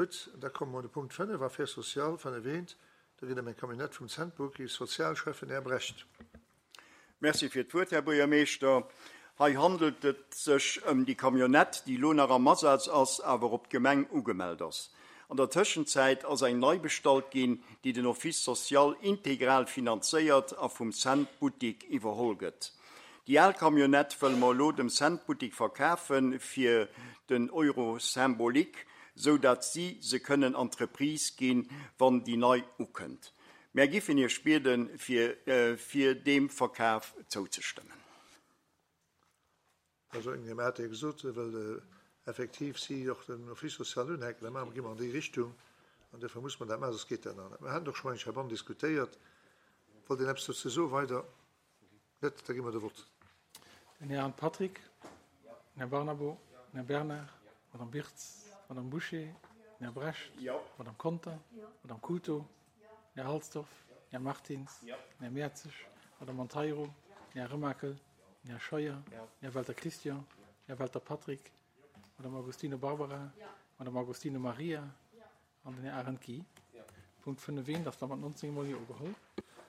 Gutt, da komme mer un de Punkt 5, Affaires sociales, 5 eent. Do geet et ëm eng Camionnette vum Cent-Bookie, Sozialschäffen Här Brecht. Merci fir d'Wuert, Här Buergermeeschter. Hei handelt et sech ëm déi Camionnette, déi elo nach am Asaz ass, awer op d'Gemeng ugemellt ass. An der Tëschenzäit ass eng nei bestallt ginn, déi den Office social integral finanzéiert a vum Cent Boutique iwwerholl gëtt. Déi al Camionnette wëlle mer elo dem Cent Boutique verkafe fir den Euro symbolique, sou datt si se kënnen an d'Reprise ginn, wann déi nei ukënnt. Mär giffen Iech bieden, fir fir deem Verkaf zouzestëmmen. Also eng Här hat jo gesot, well effektiv si och den Office social unhänken, da maache mer, gi mer an déi Richtung an duerfir muss mer dat maachen, soss geet dat nach net. Mer haten och scho mol eng Kéier heibannen diskutéiert. Wollt een eppes dozou soen weider? Net? Da gi mer de Vott. Den Här Arndt Patrick, den Här Barnabo, den Här Bernard, d'Madame Birtz, d'Madame Bouché, den Här Brecht, d'Madame Conter, d'Madame Culto, den Här Halsdorf, den Här Martins, den Här Mertzig, d'Madame Monteiro, den Här Remakel, den Här Scheuer, den Här Welter Christian, den Här Welter Patrick, d'Madame Agostino Barbara, d'Madame Agostino Maria an den Här Arendt Guy. Punkt 5 eent ass da mat 19 mol Jo ugeholl.